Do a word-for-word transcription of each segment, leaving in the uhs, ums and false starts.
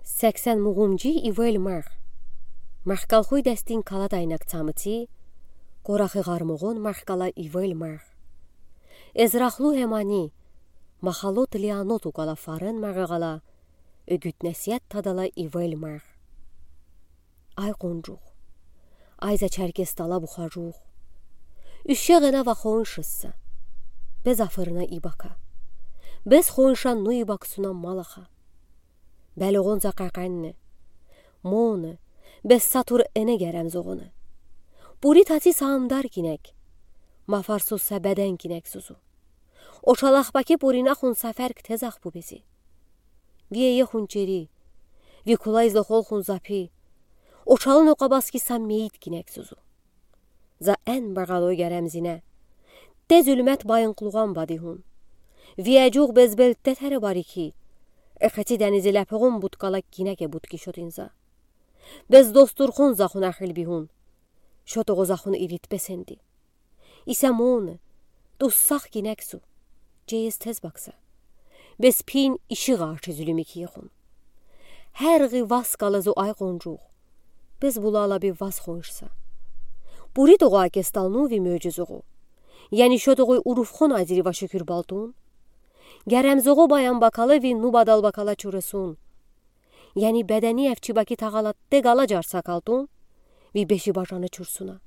Сексен мугумджи ивел марх. Мархкалхуй дестин калад айнак цамыци, корахы гъармугъун мархкала ивел марх. Эзрахлу эмани, махало тилиано тукала фарен маргъала, угут-несиет тадала ивел марх. Ай къунджух. Ай за черкес тала бухажух. Уьше гъена ва хоншыса. Бес афырна ибака. Бес хонша ну ибаксуна малаха. Белугъун за къекъенне. Моне, бес сатур эне герем зугъуна. Бури таци са амдар кинек. Мафарсуз са беден кинек зузу. Очалах баки буринахун са ферк тезах бубези. Ви ейехун чери, ви кулай зохолхун запи, очалын окъабаски са мейит кинек зузу. За эн багъалой герем зине. Те зулмет байынклугъан бадигъун. Ви эджугъ безбел тетере барики. Экъеци денизи лепугъун буткала кинеке бутки шотин за. Бес достурхун захун ахил бигъун. Шотугъу захун ирит бесенди. Иса моне, туссах кинексу, чейес тез бакса. Бес пин иши гъарчи зулюми киехун. Гъергъи ваз калазу ай къунджух. Бес булала би ваз хоншса. Бури тогъа кесталну ви мёджи зугъу. Яни шотугъуй уруфхон азири ва шукюр балтун. Герем зугъу баян бакала ви ну бадал бакала чуресун. Яни бедени эфчи баки тагъала тегала джарса калтун, ви беши бажаны чурсуна.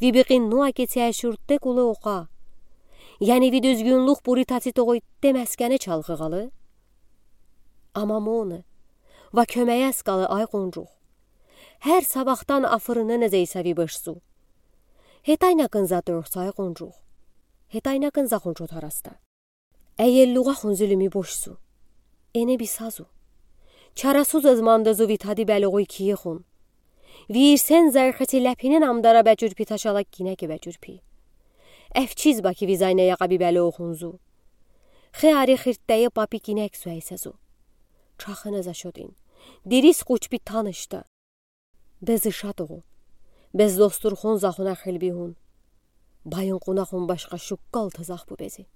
Ви бикъин нуа кеци эшюрте кулы окъа. Яни ви дюзгюнлюк бури таци тогъуй те мескене чалгъы гъалы. Ама моне, ва кёмеес калы ай къунджух. Гъер сабахдан афырыны не зейса ви бешсу. Гетайна кынза тёрхса ай къунджух. Гетайна кынза хунчо тараста. Эйеллугъа хун зулюми бошсу. Эне бисазу. Чарасуз эзмандазу ви тади белугъуй киехун. Ви ирсен зайхати лепинен амдара бечурпи ташала кинеке бечурпи. Эфчиз баки ви зайне яка би белугъунзу. Хе ари хирттее папи кинексу эйсезу. Чахына за шотин. Дирис къучпи танышта. Бес ишатугъу. Бес достурхун захуна хилбигъун. Байын къунахун башха шуккал тазах бубези.